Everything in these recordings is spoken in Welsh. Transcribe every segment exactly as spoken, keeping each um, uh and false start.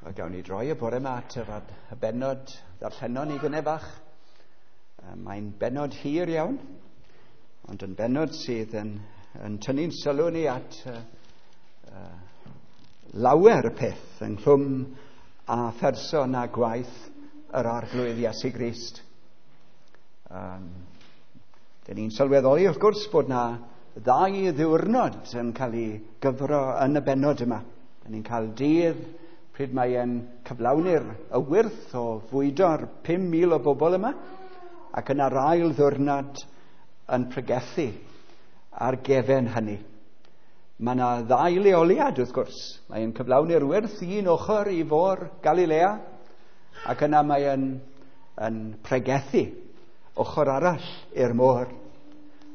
A gawn ni droi y bore yma at yr y bennod ddarllenon ni gynne bach. Mae'n bennod hir iawn, ond yn bennod sydd yn, yn tynnu'n sylw ni at uh, uh, lawer peth ynghlwm â pherson a gwaith yr Arglwydd Iesu Grist. Um, Dyn ni'n sylweddoli wrth gwrs bod na ddau ddiwrnod yn cael ei gyfro yn y bennod yma. Dyn ni'n cael dydd pryd mae e'n cyflawni'r y wyrth o fwydo'r pum mil o bobl yma, ac yna'r ail ddiwrnod yn pregethu ar gefen hynny. Mae yna ddau leoliad wrth gwrs. Mae'n cyflawni'r wyrth un ochr i fôr Galilea, ac yna mae'n yn pregethu ochr arall i'r môr.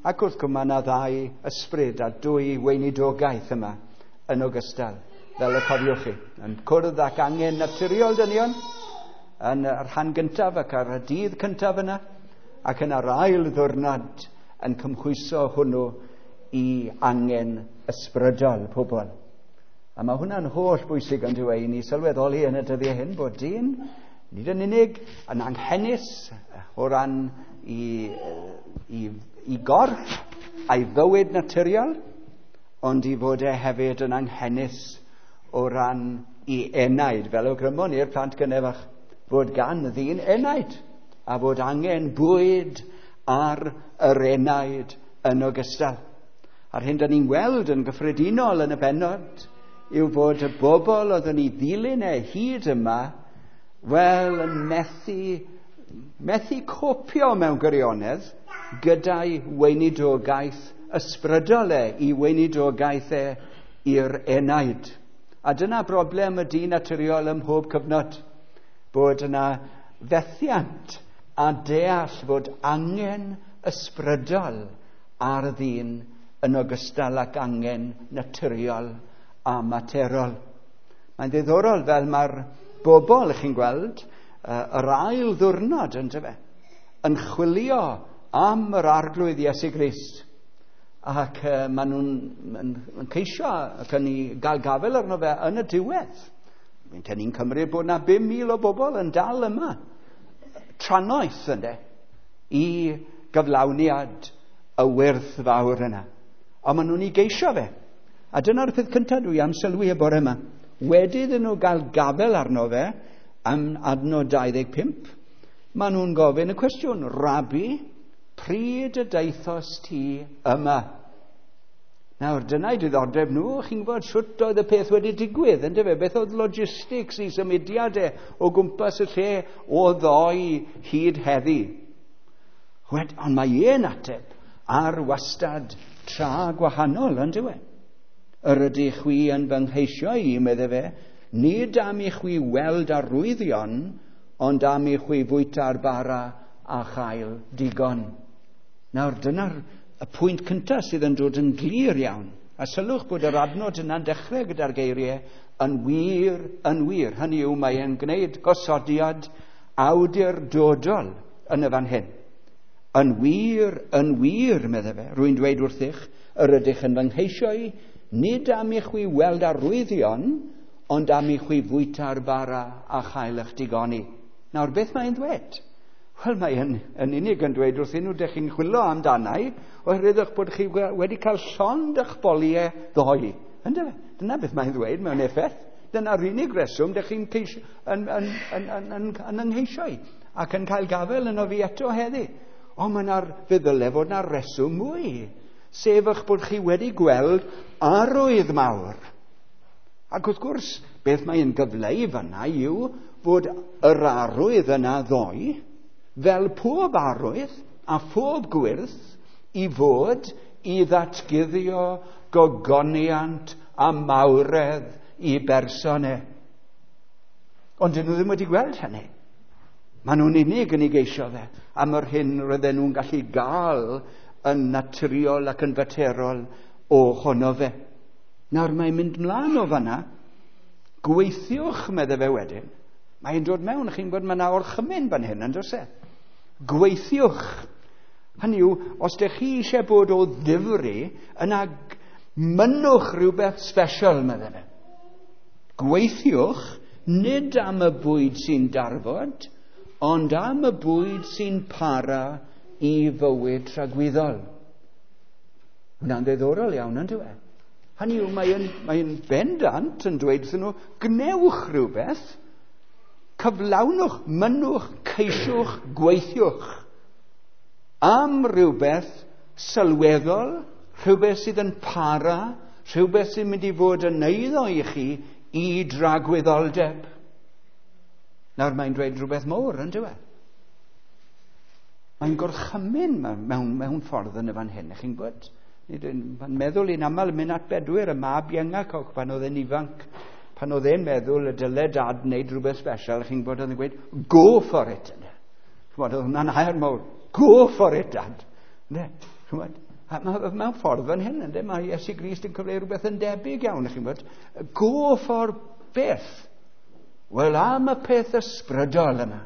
Ac wrth gwrs mae yna ddau ysbryd a dwy weinidogaeth yma yn ogystal, fel y cofiwch chi. Yn cwrdd ac angen naturiol dynion yn y rhan gyntaf ac ar y dydd cyntaf yna, ac yn yr ail ddiwrnod yn cymhwyso hwnnw i angen ysbrydol pobl. A mae hwnna'n holl bwysig yn dweud i ni sylweddoli yn y dyddiau hyn bod dyn nid yn unig yn anghenus o ran i, i, i gorff a'i fywyd naturiol, ond i fod e hefyd yn anghenus o ran i enaid, fel awgrymon i'r plant gynnefach, fod gan ddyn enaid, a fod angen bwyd ar yr enaid yn ogystal. A'r hyn da ni'n gweld yn gyffredinol yn y bennod yw fod y bobl oedd yn ei ddilyn e hyd yma, wel, yn methu, methu copio mewn gwirionedd gyda'i weinidogaeth ysbrydol e, i weinidogaeth e i'r enaid. A dyna broblem y dyn naturiol ym mhob cyfnod, bod yna fethiant a deall fod angen ysbrydol ar ddyn yn ogystal ac angen naturiol a materol. Mae'n ddiddorol fel mae'r bobl, chi'n gweld, yr ail ddiwrnod yndyfe, yn chwilio am yr Arglwydd Iesu Grist. Ac uh, maen nhw'n yn, yn ceisio ac yn ei gael gafel arno fe yn y diwedd. Mae'n ni'n cymryd bod na bum mil o bobl yn dal yma, trannoeth ynde, i gyflawniad y wyrth fawr yna. Ond maen nhw'n ei geisio fe. A dyna'r peth cyntaf dwi am sylwi y bore yma. Wedi iddyn nhw gael gafel arno fe am adnod dau ddeg pump, maen nhw'n gofyn y cwestiwn, Rabi, pryd y daethos ti yma? Nawr, dyna'i diddordeb nhw, chi'n gwybod sut oedd y peth wedi digwydd, yndyfe? Beth oedd logistics i symudiadau o gwmpas y lle o ddoe hyd heddi? Wed, ond mae un ateb ar wastad tra gwahanol, yndyfe? Yr ydych chwi yn fy ngheisio i, medde fe, nid am i chwi weld arwyddion, ond am i chwi fwyta'r bara a chael digon. Nawr, dyna'r y pwynt cyntaf sydd yn dod yn glir iawn. A sylwch bod yr adnod yna'n dechrau gyda'r geiriau yn wir, yn wir. Hynny yw, mae e'n gwneud gosodiad awdurdodol yn y fan hyn. Yn wir, yn wir, medde fe, rwy'n dweud wrthych, yr ydych yn fy ngheisio i, nid am i chwi weld arwyddion, ond am i chwi fwyta'r bara a chael eich digoni. Nawr, beth mae'n dweud? Wel, mae yn, yn unig yn dweud wrthyn nhw, dych chi'n chwilio amdanau, oherwydd eich bod chi wedi cael llond eich boliau ddoe. Yndyfe? Dyna beth mae'n ddweud mewn effaith. Dyna'r unig reswm dych chi'n ceisio, yn, yn, yn, yn, yn, yn yngheisio i, ac yn cael gafel yno fi eto heddi. Ond mae yna, fe ddyle fod yna reswm mwy, sef eich bod chi wedi gweld arwydd mawr. Ac wrth gwrs, beth mae'n gyfleu fanna yw fod yr arwydd yna ddoe, fel pob arwydd a phob gwyrth, i fod i ddatguddio gogoniant a mawredd i berson e. Ond dyn nhw ddim wedi gweld hynny. Maen nhw'n unig yn ei geisio fe am yr hyn roedden nhw'n gallu gael yn naturiol ac yn faterol ohono fe. Nawr mae'n mynd mlaen o fanna. Gweithiwch, medde fe wedyn. Mae'n dod mewn, chi'n gwybod, mae yna orchymyn fan hyn, yn does e? Gweithiwch. Hynny yw, os dych chi eisiau bod o ddifri, yna mynnwch rhywbeth special, medde fe. Gweithiwch, nid am y bwyd sy'n darfod, ond am y bwyd sy'n para i fywyd tragwyddol. Hwna'n ddiddorol iawn, yn dyw e? Hynny yw, mae'n mae bendant yn dweud wrthyn nhw, gnewch rhywbeth, cyflawnwch, mynnwch, ceisiwch, gweithiwch am rhywbeth sylweddol, rhywbeth sydd yn para, rhywbeth sy'n mynd i fod yn eiddo i chi i dragwyddoldeb. Nawr mae'n dweud rhywbeth mawr, yn dyw e? Mae'n gorchymyn mewn, mewn ffordd yn y fan hyn, chi'n gwybod? Mae'n meddwl i'n aml mynd at bedwyr, y mab iengac pan oedd e'n ifanc, pan oedd e'n meddwl y dyle dad wneud rhywbeth special, chi'n gwybod, oedd e'n gweud, go for it. Chymod, oedd hwnna'n air mawr, go for it, dad. Chymod, mewn ffordd fan hyn, ynde, mae Iesu Grist yn cyfleu rhywbeth yn debyg iawn, chi'n gwybod, go for beth? Wel, am y peth ysbrydol yma,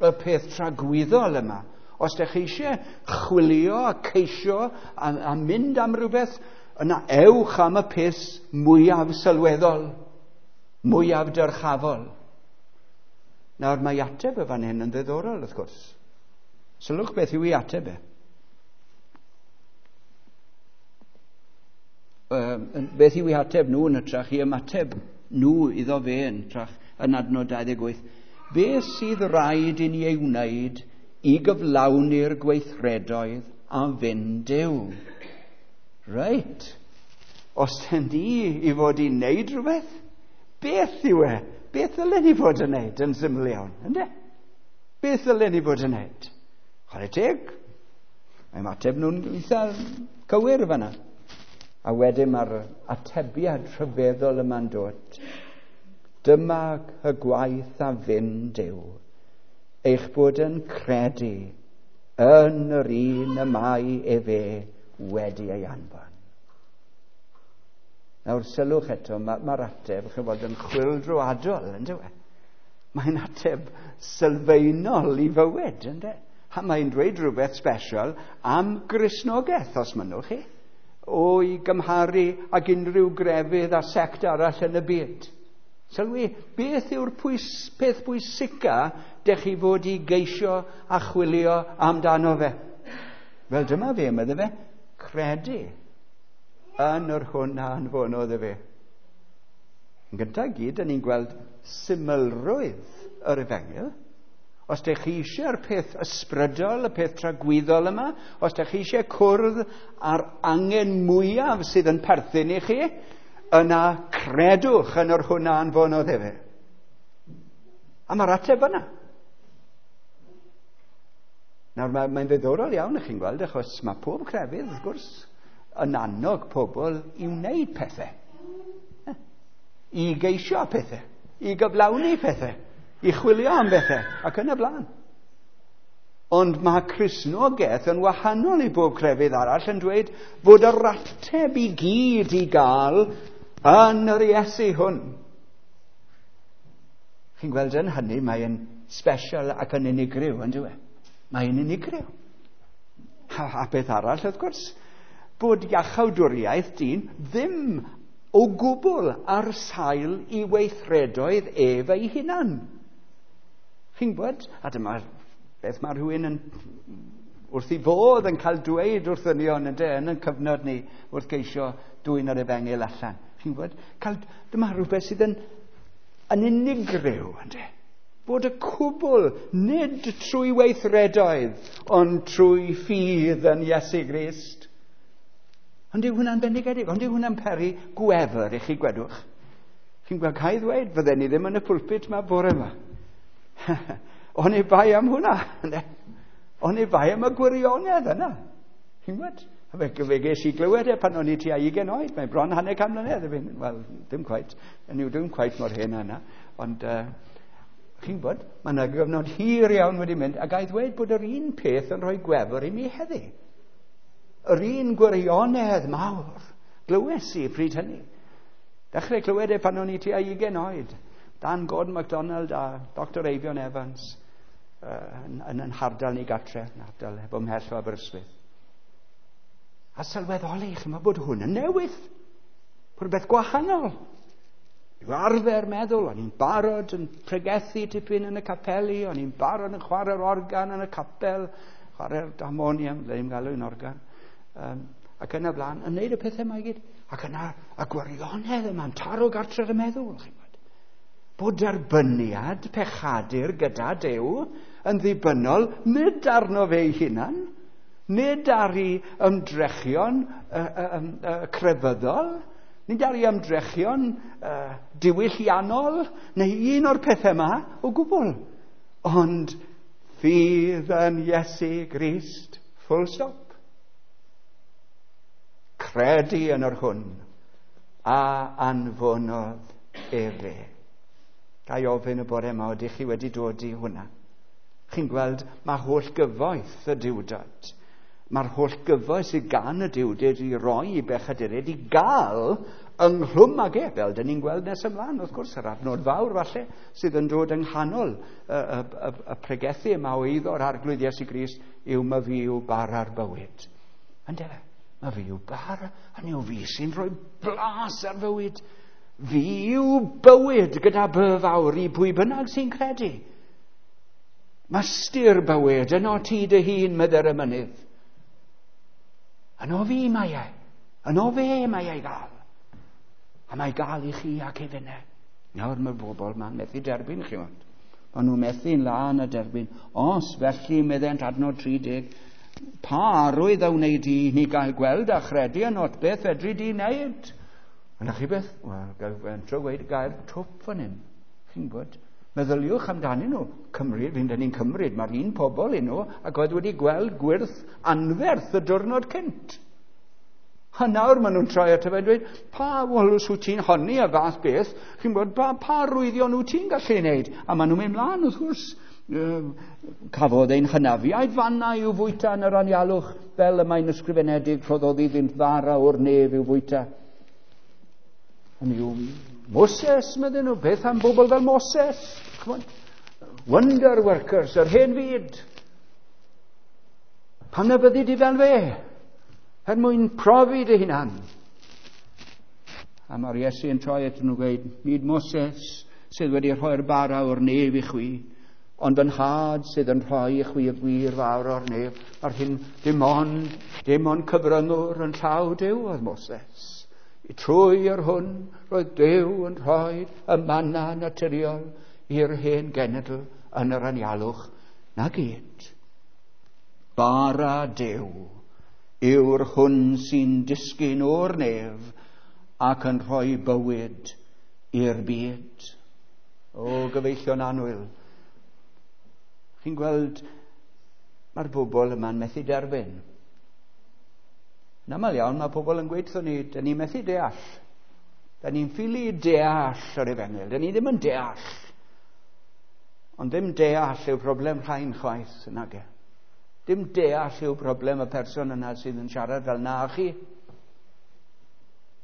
y peth tragwyddol yma. Os ydych chi eisiau chwilio a ceisio a, a mynd am rhywbeth, yna ewch am y peth mwyaf sylweddol, mwyaf dyrchafol. Nawr mae ateb y fan hyn yn ddiddorol, wrth gwrs. Sylwch beth yw ei ateb e. Beth yw ei ateb nhw yn hytrach i ymateb nhw iddo fe yn hytrach yn adnod dau ddeg wyth. Beth sydd rhaid i ni ei wneud i gyflawni'r gweithredoedd a fynd Duw? Reit. Os dyn ni i fod i wneud rhywbeth, beth yw e? Beth ddylen ni fod yn wneud yn syml iawn, ynde? Beth ddylen ni fod yn wneud? Chwarae teg. Mae ymateb nhw'n eitha cywir fan'na. A wedyn mae'r atebiad rhyfeddol yma'n dod. Dyma y gwaith a fyn Duw, eich bod yn credu yn yr un y mae efe wedi ei anfon. Nawr sylwch eto, mae'r ma ateb chymod, yn chwyldroadol, yn dyw e? Mae'n ateb sylfaenol i fywyd, yn de? A mae'n dweud rhywbeth special am Gristnogaeth, os mynnwch chi, o'i gymharu ag unrhyw grefydd a sect arall yn y byd. Sylwi, beth yw'r pwys, peth pwysica dech chi fod i geisio a chwilio amdano fe? Wel, dyma fe, medde fe, credu yn yr hwn a anfonodd e fe. Yn gyntaf gyd, ni'n gweld symlrwydd yr efengyl. Os dych chi eisiau'r peth ysbrydol, y peth tragwyddol yma, os dych chi eisiau cwrdd â'r angen mwyaf sydd yn perthyn i chi, yna credwch yn yr hwn a anfonodd efe. A mae'r ateb yna. Nawr, mae'n mae ddiddorol iawn, ych chi'n gweld, achos mae pob crefydd, wrth gwrs, yn annog pobl i wneud pethau. I geisio pethau, i gyflawni pethau, i chwilio am bethau, ac yn y blaen. Ond mae Cristnogaeth yn wahanol i bob crefydd arall yn dweud fod yr ateb i gyd i gael yn yr Iesu hwn. Chi'n gweld yn hynny, mae'n special ac yn unigryw, yn dyw e? Mae'n unigryw. A, a beth arall, wrth gwrs, bod iachawdwriaeth dyn ddim o gwbl ar sail i weithredoedd ef ei hunan. Chi'n gwybod? A dyma beth mae rhywun yn wrth i fodd yn cael dweud wrth ddynion yn, yn y cyfnod ni wrth geisio dwyn yr efengyl allan. Chi'n gwybod? Cael, dyma rhywbeth sydd yn, yn unigryw, ynde? Bod y cwbl nid trwy weithredoedd, ond trwy ffydd yn Iesu Grist. Ond yw hwnna'n bendigedig? Ond yw hwnna'n peri gwefr i chi, gwedwch? Chi'n gweld, cael ddweud, fydden ni ddim yn y pulpit yma bore yma. Oni bai am hwnna. Oni bai am y gwirionedd yna. Chi'n gweld? Fe, fe ges i glywed e pan o'n i tua ugain oed. Mae bron hanner can mlynedd. Wel, dim cweit. Yn yw, dim cweit mor hen yna. Ond uh, chi'n gwybod, mae yna gyfnod hir iawn wedi mynd, a gai ddweud bod yr un peth yn rhoi gwefr i mi heddi. Yr un gwirionedd mawr glywes i pryd hynny. Dechrau clywed e pan o'n i tua ugain oed. Dan Gordon MacDonald a Doctor Eifion Evans uh, yn, yn, yn hardal ni gatre, yn hardal efo mhell o Aberystwyth. A sylweddoli, chi'n meddwl bod hwn yn newydd. Rhywbeth gwahanol. Yw arfer meddwl, o'n i'n barod yn pregethu tipyn yn y capeli, o'n i'n barod yn chwarae'r organ yn y capel, chwarae'r harmonium, le i'n galw yn organ, um, ac yna blaen, yn neud y pethau yma i gyd. Ac yna, y gwirionedd yma'n taro gartref y meddwl, chi'n gwybod. Bod derbyniad pechadur gyda Duw yn ddibynnol nid arno fe ei hunan, nid ar ei ymdrechion uh, uh, uh, crefyddol, nid ar ei ymdrechion uh, diwylliannol, neu un o'r pethau yma o gwbl. Ond ffydd yn Iesu Grist, full stop. Credu yn yr hwn a anfonodd efe. Ga i ofyn y bore yma, ydych chi wedi dod i hwnna? Chi'n gweld, mae holl gyfoeth y Duwdod. Mae'r holl gyfoeth sydd gan y Duwdod i roi i bechaduriaid i gael ynghlwm ag e, fel dyn ni'n gweld nes ymlaen, wrth gwrs, yr adnod fawr falle, sydd yn dod yng nghanol y, y, y, y pregethu yma o eiddo'r Arglwydd Iesu Grist yw ma fi yw bara'r bywyd. Ynde fe? Ma fi yw bara, hynny yw fi sy'n rhoi blas ar fywyd. Fi yw bywyd gyda by fawr i pwy bynnag sy'n credu. Mae styr bywyd yno ti dy hun, medde'r emynydd. Yno fi mae e. Yno fe mae e i gael. A mae gael i chi ac i finne. Nawr mae'r bobl ma'n methu derbyn chi ond. Maen nhw'n methu'n lân a derbyn. Os felly, meddent adnod tri deg, pa arwydd a wneud i ni gael gweld a chredu ynot, beth fedri di wneud? A na chi beth? Wel, gael fentro gweud gair twp fan hyn. Chi'n gwybod? Meddyliwch amdanyn nhw. Cymru, fi'n dyn ni'n cymryd, mae'r un pobl i nhw ac oedd wedi gweld gwyrth anferth y diwrnod cynt. A nawr maen nhw'n troi at y fe dweud, pa, wel, os wyt ti'n honni y fath beth, chi'n gwybod, pa, pa arwyddion wyt ti'n gallu wneud? A maen nhw'n mynd mlaen, wrth gwrs. Cafodd ein hynafiaid fanna i'w fwyta yn yr anialwch, fel y mae'n ysgrifenedig, rhoddodd iddynt fara o'r nef i'w fwyta. Hynny yw, Moses, medden nhw, beth am bobl fel Moses? Wonder workers, yr hen fyd. Pam na byddi di fel fe? Er mwyn profi dy hunan. A mae'r Iesu yn troi at nhw gweud, nid Moses sydd wedi rhoi'r bara o'r nef i chwi, ond yn nhad sydd yn rhoi i chwi y gwir fawr o'r nef. Mae'r hyn dim ond, dim ond cyfryngwr yn llaw Duw oedd Moses. Trwy yr hwn roedd Duw yn rhoi y manna naturiol i'r hen genedl yn yr anialwch. Na gyd. Bara Duw yw'r hwn sy'n disgyn o'r nef ac yn rhoi bywyd i'r byd. O, gyfeillion annwyl, chi'n gweld mae'r bobl yma'n methu derbyn. Yn aml iawn mae pobl yn gweud wrthon ni, dyn ni'n methu deall. Dyn ni'n ffili deall yr efengyl, dyn ni ddim yn deall. Ond ddim deall yw problem rhain chwaith, nage. Dim deall yw problem y person yna sydd yn siarad fel na chi.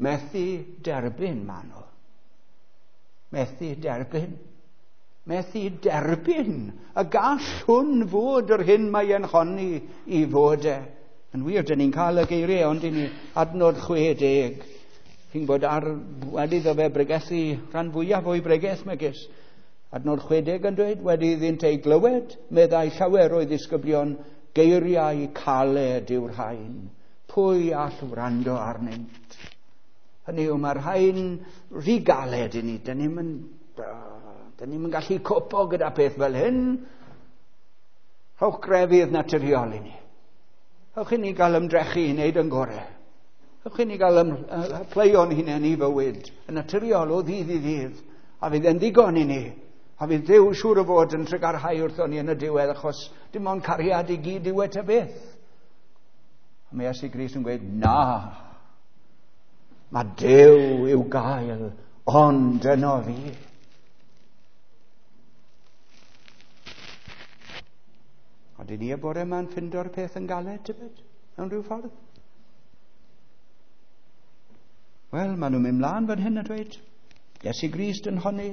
Methu derbyn maen nhw. Methu derbyn. Methu derbyn. Y gall hwn fod yr hyn mae e'n honni i fod e. Yn wir, dyn ni'n cael y geiriau, ond dyn ni adnod chwe deg. Chi'n bod ar, wedi iddo fe bregethu rhan fwyaf o'i bregeth megis. Adnod chwe deg yn dweud, wedi iddynt ei glywed, meddai llawer o'i ddisgyblion, geiriau caled yw'r rhain. Pwy all wrando arnynt? Hynny yw, mae'r rhain rhy galed i ni. Dyn ni'm yn, dyn ni'm yn gallu copo gyda peth fel hyn. Rhowch grefydd naturiol i ni. Rhowch i ni gael ymdrechu i wneud yn gorau. Rhowch i ni gael ym, pleio'n hunain i fywyd yn naturiol o ddydd i ddydd. A fydd e'n ddigon i ni. A fydd Duw siŵr o fod yn trugarhau wrthon ni yn y diwedd, achos dim ond cariad i gyd yw e ta beth. A mae Iesu Grist yn gweud, na, mae Duw i'w gael, ond yno fi. A dyn ni y bore yma'n ffindo'r peth yn galed, tybed, mewn rhyw ffordd? Wel, maen nhw'n mynd mlaen fan hyn a dweud, Iesu Grist yn honni.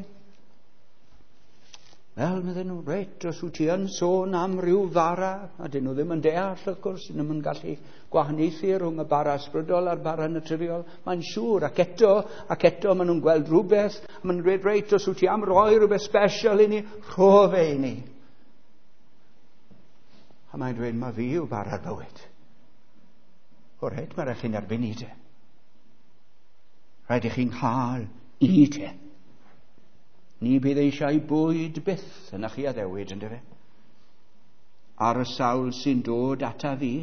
Wel, medden nhw, reit, os wyt ti yn sôn am ryw fara, a dyn nhw ddim yn deall, wrth gwrs, dyn nhw'n gallu gwahaniaethu rhwng y bara ysbrydol a'r bara naturiol, mae'n siŵr, ac eto, ac eto maen nhw'n gweld rhywbeth, a maen nhw'n dweud, reit, os wyt ti am roi rhywbeth special i ni, rho fe i ni. A mae'n dweud, mae fi yw bara'r bywyd. O reit, mae rhaid chi'n erbyn i te. Rhaid i chi'n cael i te. Ni bydd eisiau bwyd byth yn chi addewid, yndyfe? Ar y sawl sy'n dod ata fi,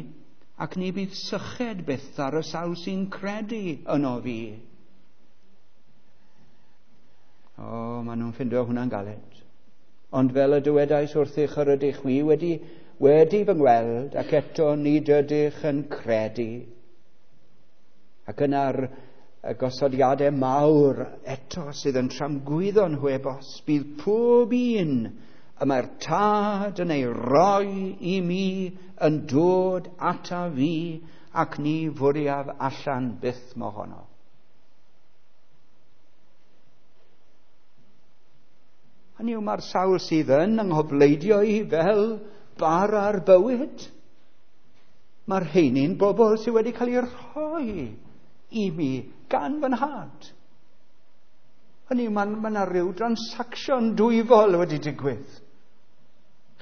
ac ni bydd syched byth ar y sawl sy'n credu yno fi. O, maen nhw'n ffindio hwnna'n galed. Ond fel y dywedais wrthych yr ydych chwi wedi, wedi fy ngweld, ac eto nid ydych yn credu. Ac yna'r y gosodiadau mawr eto sydd yn tramgwyddo nhw ebos, bydd pob un y mae'r Tad yn ei roi i mi yn dod ata fi ac ni fwriaf allan byth mohono. Hynny yw, mae'r sawl sydd yn anghofleidio i fel bara'r bywyd, mae'r rheini'n bobl sydd wedi cael eu rhoi i mi gan fy nhad. Hynny yw, mae yna rhyw transaction dwyfol wedi digwydd.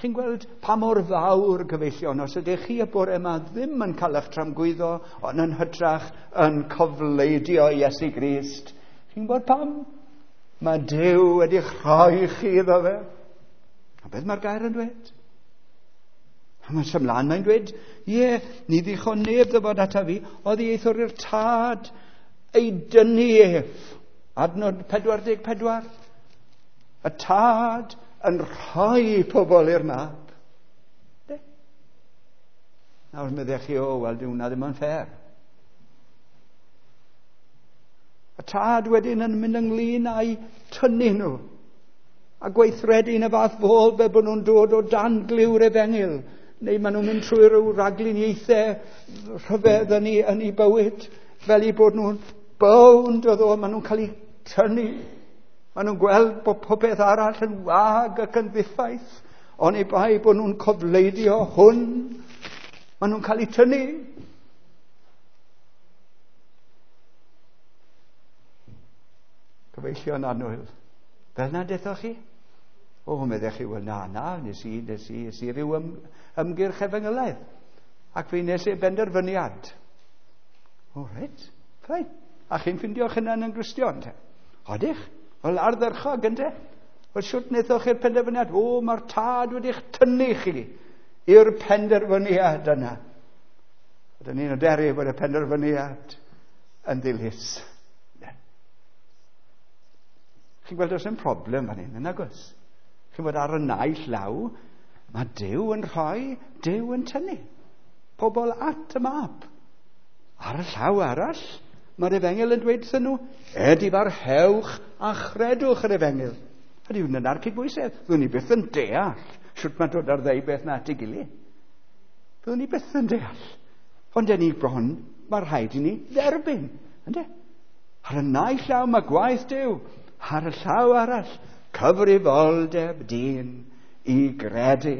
Chi'n gweld pa mor fawr, gyfeillion, os ydych chi y bore yma ddim yn cael eich tramgwyddo, ond yn hytrach yn cofleidio Iesu Grist. Chi'n gwybod pam? Mae Duw wedi'ch rhoi chi iddo fe. A beth mae'r gair yn dweud? A mae'n symlan, mae'n dweud, ie, ni ddichon neb ddyfod ata fi, oddi eithr i'r Tad ei dynnu ef. Adnod pedwar deg pedwar. Y Tad yn rhoi pobl i'r mab. De? Nawr meddech chi, o, wel, dyw hwnna ddim yn ffair. Y Tad wedyn yn mynd ynglyn â'i tynnu nhw a gweithredu yn y fath fodd fel bod nhw'n dod o dan glyw'r efengyl, neu maen nhw'n mynd trwy rhyw ragluniaethau rhyfedd yn ei, yn ei bywyd, fel eu bod nhw'n bownd o ddo, maen nhw'n cael eu tynnu. Maen nhw'n gweld bod popeth arall yn wag ac yn ddiffaith, ond ei bai bod nhw'n cofleidio hwn, maen nhw'n cael eu tynnu. Cyfeillion annwyl, fel na dethoch chi? O, meddech chi, wel na, na, nes i, nes i, nes i ryw ym, ymgyrch efengylaidd. Ac fe nes i benderfyniad. O, reit, ffain. A chi'n ffindio'ch hunan yn Gristion, te? Odych? Wel, ardderchog, ynte? Wel, siwt wnaethoch chi'r penderfyniad? O, mae'r Tad wedi'ch tynnu chi i'r penderfyniad yna. Ydyn ni'n hyderu bod y penderfyniad yn ddilys. Chi'n gweld oes yn problem fan hyn, yn agos? Chi'n gweld ar y naill law, mae Duw yn rhoi, Duw yn tynnu pobl at y mab. Ar y llaw arall, mae'r efengyl yn dweud wrthyn nhw, edifarhewch a chredwch yr efengyl. Ydy hwn yn arcydbwysedd. Fyddwn ni byth yn deall sut mae dod ar ddeu beth na at ei gilydd. Fyddwn ni byth yn deall. Ond yn ni bron, mae rhaid i ni dderbyn. Ynde? Ar y naill llaw mae gwaith Duw. Ar y llaw arall, cyfrifoldeb dyn i gredu.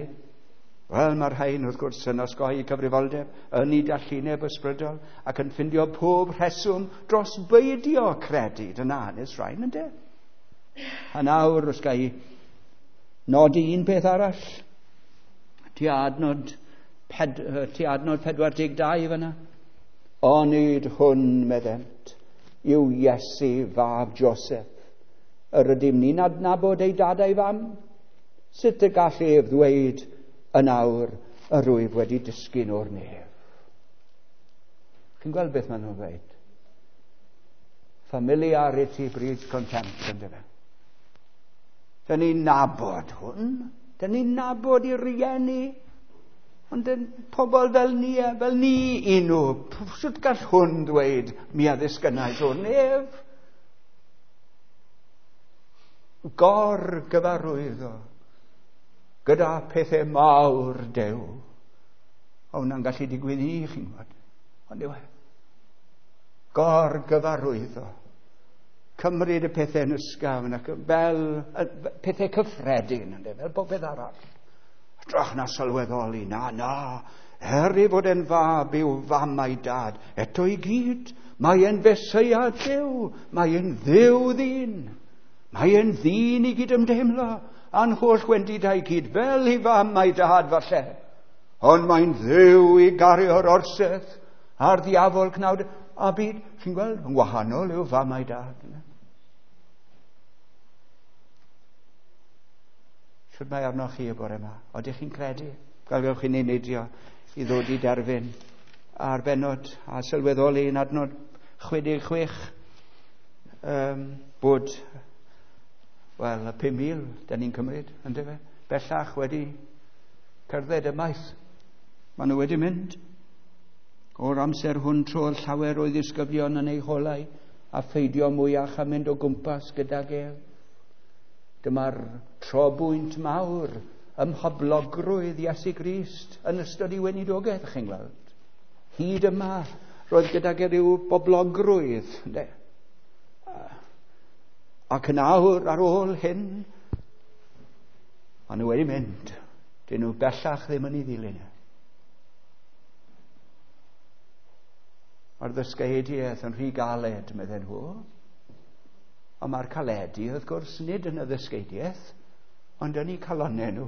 Wel, mae'r rhain wrth gwrs yn osgoi cyfrifoldeb yn ei dallineb ysbrydol ac yn ffindio pob rheswm dros beidio credu. Dyna hanes rhain, ynde? A nawr, os ga i nodi un peth arall, tua adnod, ped, tua adnod pedwar deg dau fyna. Onid hwn, meddent, yw Iesu fab Joseph. Yr ydym ni'n adnabod ei dad a'i fam? Sut y gall ef ddweud yn awr yr wyf wedi disgyn o'r nef? Chi'n gweld beth maen nhw'n dweud? Familiarity breeds contempt, yndyfe? Dyn ni'n nabod hwn. Dyn ni'n nabod i rieni. Ond dyn pobl fel ni, fel ni i nhw. Sut gall hwn ddweud mi a ddisgynnais o'r nef? Gor-gyfarwyddo gyda pethau mawr Duw. O, hwnna'n gallu digwydd i chi'n gwybod. Ond yw e. Gor-gyfarwyddo. cymryd y pethau yn ysgafn ac fel pethau cyffredin, ynde, fel popeth arall. Hytrach na sylweddoli, na, na, er ei fod e'n fab i'w fam a'i dad, eto i gyd, mae e'n Feseia Duw, mae e'n Dduw ddyn, mae e'n ddyn i gyd ymdeimlo, a'n holl wendidau i gyd, fel ei fam a'i dad falle. Ond mae'n Dduw i gario'r orsedd a'r ddiafol cnawd a byd, chi'n gweld, yn wahanol i'w fam a'i dad. Shwt mae arnoch chi y bore yma? Odych chi'n credu? Gallwch chi neidio i ddod i derfyn ar bennod a sylweddoli yn adnod chwe deg chwech um, bod, wel, y pum mil da ni'n cymryd, yndyfe? Bellach wedi cerdded ymaith. Maen nhw wedi mynd. O'r amser hwn trodd llawer o'i ddisgyblion yn eu holau a pheidio mwyach a mynd o gwmpas gydag ef. Dyma'r trobwynt mawr ym mhoblogrwydd Iesu Grist yn ystod ei weinidogaeth, chi'n gweld. Hyd yma, roedd gydag e ryw boblogrwydd, ynde? Ac yn awr ar ôl hyn, maen nhw wedi mynd. Dyn nhw bellach ddim yn ei ddilyn e. Mae'r ddysgeidiaeth yn rhy galed, medden nhw. Ond mae'r caledu, wrth gwrs, nid yn y ddysgeidiaeth, ond yn eu calonnau nhw.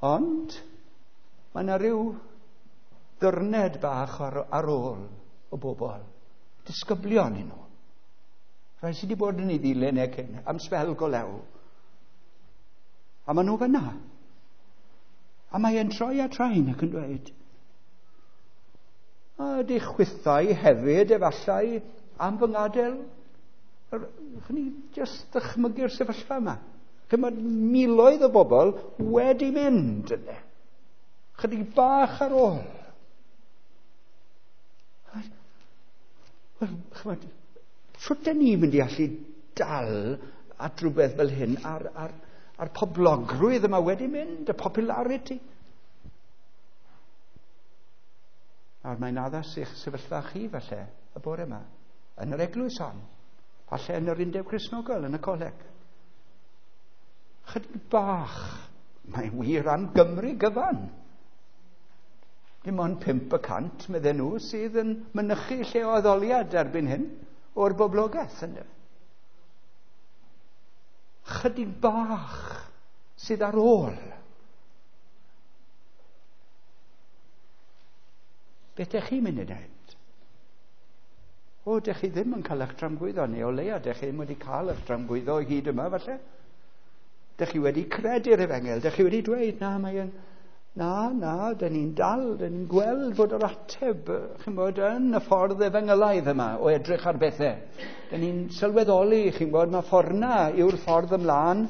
Ond mae yna rhyw ddyrned bach ar, ar ôl o bobl. Disgyblion i nhw. Rhai sydd wedi bod yn ei ddilyn e cyn, am sbel go lew. A maen nhw fyna. A mae e'n troi at rhain ac yn dweud, a ydych chwithau hefyd efallai am fy ngadael? Chyn ni jyst ddychmygu'r sefyllfa yma. Chyn mae miloedd o bobl wedi mynd yna. Chydig bach ar ôl. Wel, chymod, sut dyn ni'n mynd i allu dal at rhywbeth fel hyn a'r, ar, ar poblogrwydd yma wedi mynd, y popularity? Nawr mae'n addas i'ch sefyllfa chi falle y bore yma, yn yr eglwys hon, falle yn yr Undeb Cristnogol, yn y coleg. Chydig bach, mae'n wir am Gymru gyfan. Dim ond pump y cant, medden nhw, sydd yn mynychu lle o addoliad erbyn hyn o'r boblogaeth. Ynddo. Chydig bach sydd ar ôl. Beth ydych chi'n mynd i wneud? O, dych chi ddim yn cael eich tramgwyddo, neu o leia, dych chi ddim wedi cael eich tramgwyddo hyd yma, falle. Dych chi wedi credu'r efengyl, dych chi wedi dweud, na, mae yn, na, na, dyn ni'n dal, dyn ni'n gweld fod yr ateb, chi'n bod, yn y ffordd efengylaidd yma, o edrych ar bethau. Dyn ni'n sylweddoli, chi'n bod, mae ffordd na yw'r ffordd ymlaen,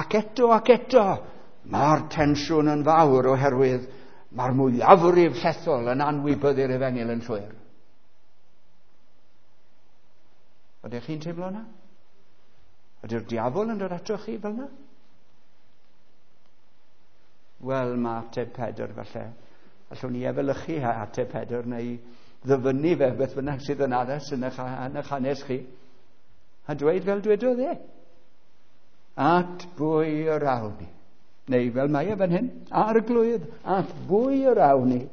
ac eto, ac eto, mae'r tensiwn yn fawr oherwydd mae'r mwyafrif llethol yn anwybyddu'r efengyl yn llwyr. Ydych chi'n teimlo yna? Ydy'r diafol yn dod atoch chi fel yna? Wel, mae ateb Pedr falle. Allwn ni efelychu ateb Pedr neu ddyfynnu fe beth bynnag sydd yn addas yn eich, yn eich hanes chi. A dweud fel dwedodd e. At bwy yr awn ni? Neu fel mae e fan hyn, Arglwydd, at bwy yr awn ni?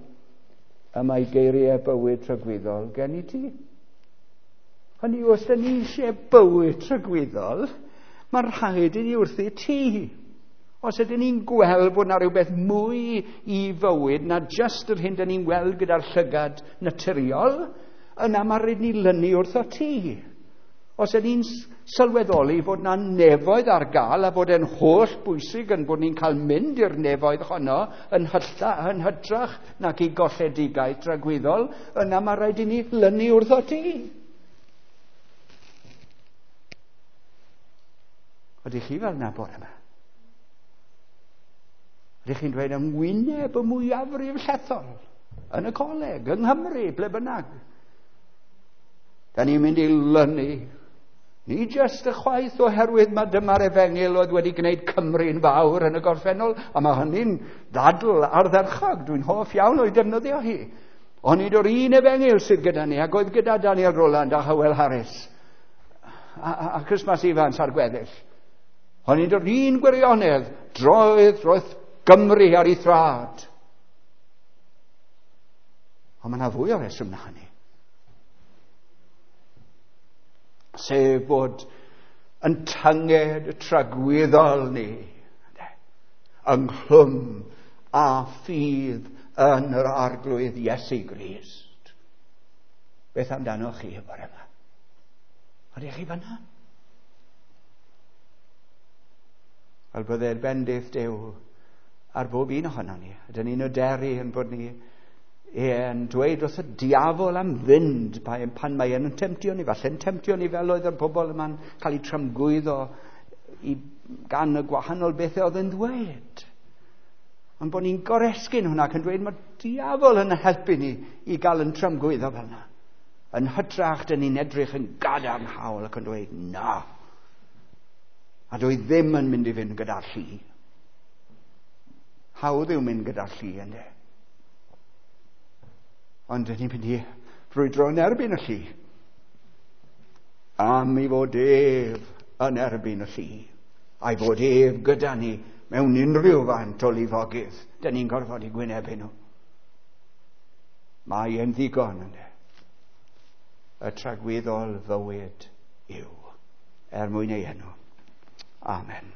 Y mae geiriau bywyd tragwyddol gen i ti. Hynny yw, os da ni eisiau bywyd tragwyddol, mae'n rhaid i ni wrthi ti. Os ydyn ni'n gweld bod na rhywbeth mwy i fywyd na jyst yr hyn da ni'n weld gyda'r llygad naturiol, yna mae rhaid ni lynu wrtho ti. Os ydyn ni'n sylweddoli fod na nefoedd ar gael a bod e'n holl bwysig yn bod ni'n cael mynd i'r nefoedd honno yn, hylla, yn hytrach nac i golledigaeth tragwyddol, yna mae rhaid i ni lynu wrtho ti. Ydych chi fel na bore yma? Ydych chi'n dweud yng ngwyneb y mwyafrif llethol, yn y coleg, yng Nghymru, ble bynnag? Da ni'n mynd i lynu. Ni jyst y chwaith oherwydd mae dyma'r efengyl oedd wedi gwneud Cymru'n fawr yn y gorffennol, a mae hynny'n ddadl ardderchog, dwi'n hoff iawn o'i defnyddio hi. Onid o'r un efengyl sydd gyda ni, ac oedd gyda Daniel Rowland a Howell Harris a, a, a Christmas Evans a'r gweddill. Onid o'r un gwirionedd droedd roedd Gymru ar ei thrad. Ond mae yna fwy o reswm na hynny. Sef bod yn tynged y tragwyddol ni ynghlwm a ffydd yn yr Arglwydd Iesu Grist. Beth amdanoch chi y bore yma? Ydych chi fanna? Wel, byddai'r bendith Duw ar bob un ohono ni. Ydyn ni'n oderu yn bod ni yn dweud wrth y diafol am fynd pan mae e'n temtio ni. Falle'n temtio ni fel oedd yr bobl yma'n cael eu tramgwyddo i, gan y gwahanol bethau oedd yn ddweud. Ond bod ni'n goresgyn hwnna ac yn dweud mae'r diafol yn helpu ni i gael yn tramgwyddo fel yna. Yn hytrach, dyn ni'n edrych yn gadarnhaol ac yn dweud na. A dwi ddim yn mynd i fynd gyda'r llu. Hawdd yw mynd gyda'r llu, ynddo. Ond dyn ni'n mynd i frwydro yn erbyn y llu. Am i fod ef yn erbyn y llu. A'i fod ef gyda ni mewn unrhyw faint o lifogydd. Dyn ni'n gorfod i gwynebu nhw. Mae e'n ddigon, ynddo. Y tragwyddol fywyd yw, er mwyn ei enw. Amen.